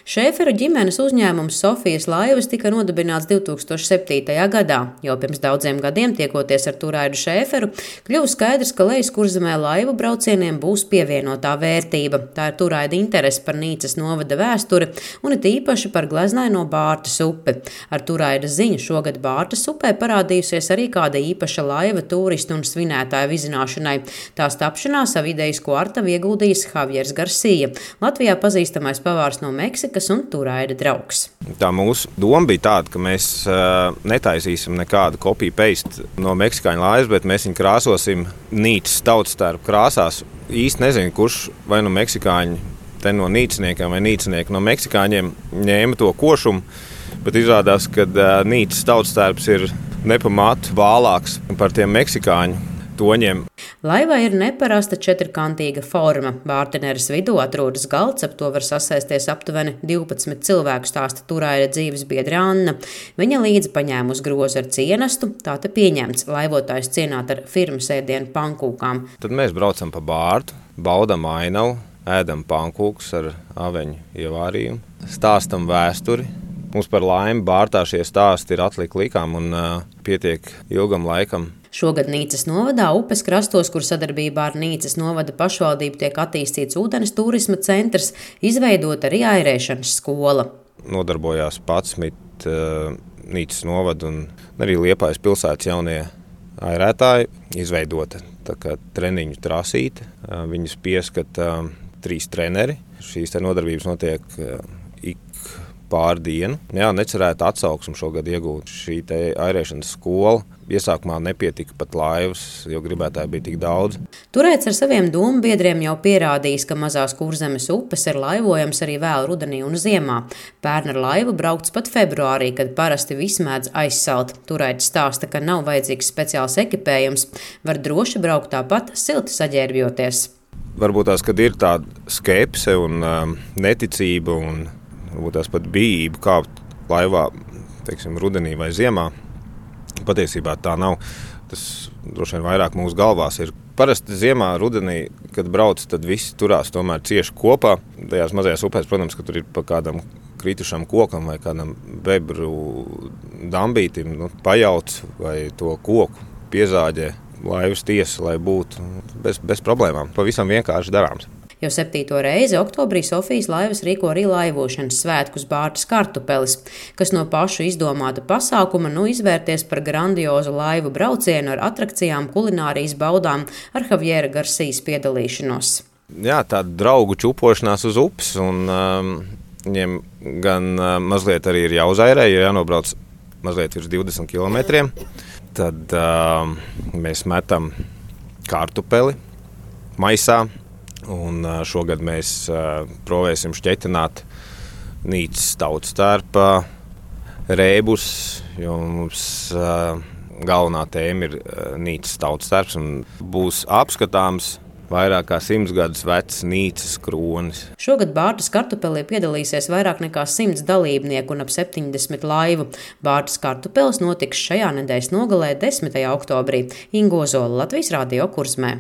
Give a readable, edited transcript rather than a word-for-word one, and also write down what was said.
Šēferu ģimenes uzņēmums Sofijas laivas tika nodibināts 2007. gadā. Jau pirms daudziem gadiem, tiekoties ar Turaidu Šēferu, kļuva skaidrs, ka Lejaskurzemē laivu braucieniem būs pievienotā vērtība. Tā ir Turaida interese par Nīcas novada vēsturi un it īpaši par gleznaino Bārtas upi. Ar Turaidas ziņu šogad Bārtas upē parādījusies arī kāda īpaša laiva turistu un svinētāju vizināšanai. Tās tapšanā savu idejisko artavu ieguldījis Javiers Garcia, Latvijā pazīstamais pavārs no Meksikas un Turaida draugs. Tā mūsu doma bija tāda, ka mēs netaisīsim nekādu copy-paste no meksikāņu laivas, bet mēs viņu krāsosim Nīcas tautstērpu krāsās. Īsti nezinu, kurš vai no meksikāņu, te no nīcniekiem vai nīcnieki no meksikāņiem ņēma to košumu, bet izrādās, ka Nīcas tautstērps ir nepamātu bālāks par tiem meksikāņu toņiem. Laivai ir neparasta četrkantīga forma. Bārteneres vidū atrodas galds, ap to var sasēsties aptuveni 12 cilvēku, stāsta Turaida dzīves biedre Anna. Viņa līdzi paņēma uz grozu ar cienastu, tā te pieņemts laivotājs cienāt ar firmas ēdienu pankūkām. Tad mēs braucam pa Bārtu, baudam ainavu, ēdam pankūkus ar aveņu ievārījumu, stāstam vēsturi. Mums par laimi Bārtā šie stāsti ir atlika likām un pietiek ilgam laikam. Šogad Nīcas novadā upes krastos, kur sadarbībā ar Nīcas novada pašvaldību tiek attīstīts ūdens turisma centrs, izveidota arī airēšanas skola. Nodarbojās 11 Nīcas novada un arī Liepājas pilsētas jaunie airētāji, izveidota tā kā treniņu trasīte. Viņus pieskata 3 treneri. Šīs nodarbības notiek ik pār dienu. Jā, necerētu atsauksmu šogad iegūt šī airēšanas skola. Iesākumā nepietika pat laivas, jo gribētāji bija tik daudz. Turēts ar saviem domu biedriem jau pierādījis, ka mazās Kurzemes upes ir laivojams arī vēl rudenī un ziemā. Pērn ar laivu braukts pat februārī, kad parasti viss mēdz aizsalt. Turēts stāsta, ka nav vajadzīgs speciāls ekipējums. Var droši braukt tāpat silti saģērbjoties. Varbūt tās, kad ir tāda skepse un neticība un varbūt tās pat bijība kāpt laivā, teiksim, rudenī vai ziemā. Patiesībā tā nav. Tas droši vien vairāk mūsu galvās ir. Parasti ziemā, rudenī, kad brauc, tad visi turās tomēr cieši kopā. Tajās mazajās upēs, protams, ka tur ir pa kādam kritušam kokam vai kādam bebru dambītim, pajauc vai to koku piezāģē laivas tiesa, lai būtu bez problēmām. Pavisam vienkārši darāms. Jau 7. reizi oktobrī Sofijas laivas rīko arī laivošanas svētkus Bārtas Kartupelis, kas no pašu izdomāta pasākuma izvērties par grandiozu laivu braucienu ar atrakcijām, kulinārijas baudām ar Javiera Garcijas piedalīšanos. Jā, tāda draugu čupošanās uz upes, un viņiem gan mazliet arī ir jāuzairē, jo jānobrauc mazliet virs 20 kilometriem. Tad mēs metam kartupeli maisā. Un šogad mēs provēsim šķetināt Nīcas tautstērpa rēbus, jo mums galvenā tēma ir Nīcas tautstērps un būs apskatāms vairāk kā 100 gadus vecs Nīcas kronis. Šogad Bārtas Kartupelī piedalīsies vairāk nekā 100 dalībnieku un ap 70 laivu. Bārtas Kartupelis notiks šajā nedēļas nogalē 10. oktobrī. Ingo Zola, Latvijas Radio Kurzemē.